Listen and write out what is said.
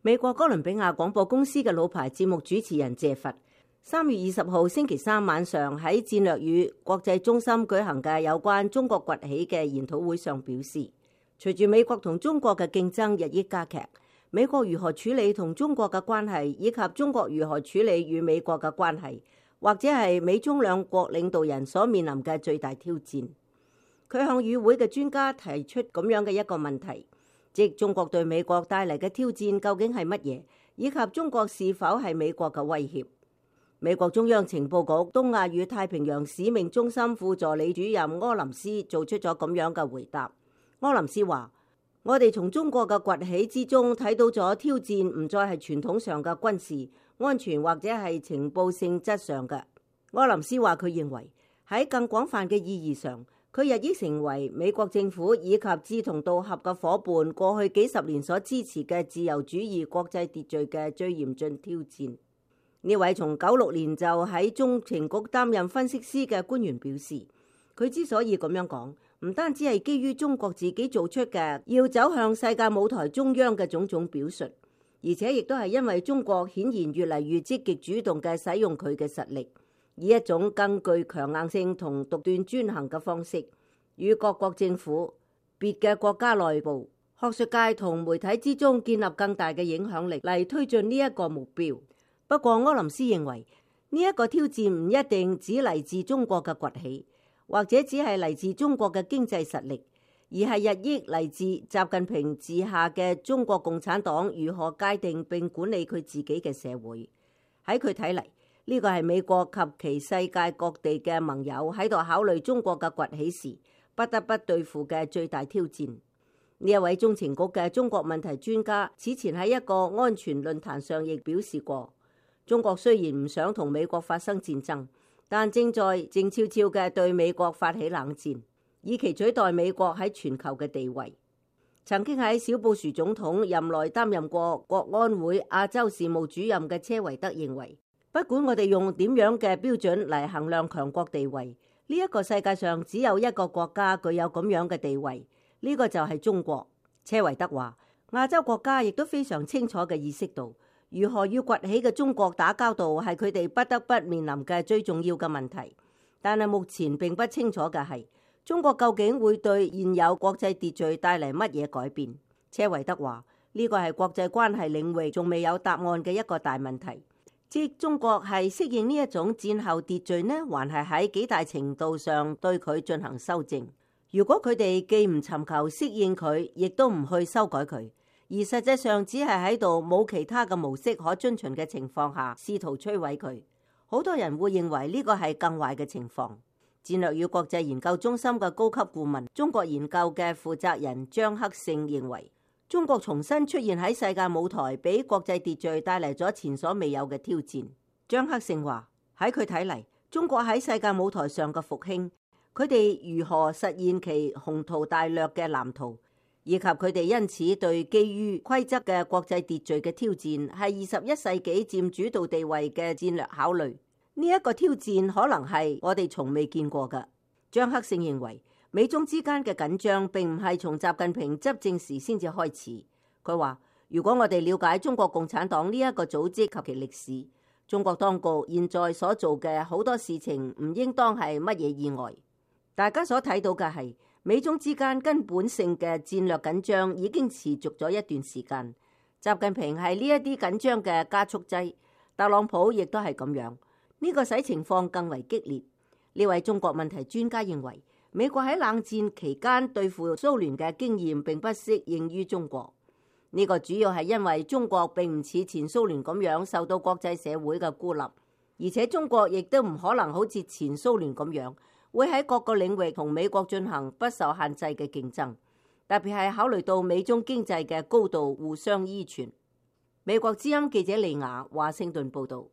美國哥倫比亞廣播公司嘅老牌節目主持人謝佛3月20號星期三晚上喺戰略與國際中心舉行嘅有關中國崛起嘅研討會上表示，隨住美國同中國嘅競爭日益加劇，美國如何處理同中國嘅關係，以及中國如何處理與美國嘅關係，或者係美中兩國領導人所面臨嘅最大挑戰。佢向與會嘅專家提出咁樣嘅一個問題，即中國對美國帶嚟嘅挑戰究竟係乜嘢，以及中國是否係美國嘅威脅。美國中央情報局東亞與太平洋使命中心副助理主任柯林斯做出咗咁樣嘅回答。柯林斯話：我哋從中國嘅崛起之中睇到咗挑戰唔再係傳統上嘅軍事、安全或者係情報性質上嘅。柯林斯話佢認為喺更廣泛嘅意義上，佢日益成為美國政府以及志同道合嘅夥伴過去幾十年所支持嘅自由主義國際秩序嘅最嚴峻挑戰。呢位從96年就喺中情局擔任分析師嘅官員表示，佢之所以咁樣講，唔單止係基於中國自己做出嘅要走向世界舞台中央嘅種種表述，而且亦都係因為中國顯然越嚟越積極主動嘅使用佢嘅實力，以一種更具強硬性同獨斷專行嘅方式，與各國政府、別嘅國家內部、學術界同媒體之中建立更大嘅影響力嚟推進呢一個目標。不過柯林斯認為呢一個挑戰唔一定只嚟自中國嘅崛起，或者只係嚟自中國嘅經濟實力，而係日益嚟自習近平治下嘅中國共產黨如何界定並管理佢自己嘅社會。喺佢睇嚟，呢個係美國及其世界各地嘅盟友喺度考慮中國嘅崛起時不得不對付嘅最大挑戰。呢一位中情局嘅中國問題專家此前喺一個安全論壇上亦表示過，中國雖然唔想同美國發生戰爭，但正在靜悄悄嘅對美國發起冷戰，以期取代美國喺全球嘅地位。曾經喺小布殊總統任內擔任過國安會亞洲事務主任嘅車維德認為，不管我哋用點樣嘅標準嚟衡量強國地位，呢一個世界上只有一個國家具有咁樣嘅地位，呢個就係中國。車維德話，亞洲國家亦都非常清楚嘅意識到，如何與崛起嘅中國打交道係佢哋不得不面臨嘅最重要嘅問題。但係目前並不清楚嘅係，中國究竟會對現有國際秩序帶嚟乜嘢改變。車維德話，呢個係國際關係領域仲未有答案嘅一個大問題。即中國係適應呢一種戰後秩序呢，還係喺幾大程度上對佢進行修正？如果佢哋既唔尋求適應佢，亦都唔去修改佢，而實際上只係喺度冇其他嘅模式可遵循嘅情況下，試圖摧毀佢，好多人會認為呢個係更壞嘅情況。戰略與國際研究中心嘅高級顧問、中國研究嘅負責人張克勝認為，中國重新出現喺世界舞台，俾國際秩序帶嚟咗前所未有嘅挑戰。張克勝話，喺佢睇嚟，中國喺世界舞台上嘅復興，佢哋如何實現其宏圖大略嘅藍圖，以及佢哋因此對基於規則嘅國際秩序嘅挑戰，係21世紀佔主導地位嘅戰略考慮。呢一個挑戰可能係我哋從未見過嘅。張克勝認為，美中之間嘅緊張並唔係從習近平執政時先至開始。佢話，如果我哋了解中國共產黨呢一個組織及其歷史，中國當局現在所做嘅好多事情唔應當係乜嘢意外。大家所睇到嘅係美中之間根本性嘅戰略緊張已經持續咗一段時間。習近平係呢一啲緊張嘅加速劑，特朗普亦都係咁樣。呢個使情況更為激烈。呢位中國問題專家認為，美國喺冷戰期間對付蘇聯嘅經驗並不適應於中國。呢個主要係因為中國並唔似前蘇聯咁樣受到國際社會嘅孤立，而且中國亦都唔可能好似前蘇聯咁樣會喺各個領域同美國進行不受限制嘅競爭，特別係考慮到美中經濟嘅高度互相依存。美國之音記者利亞華盛頓報道。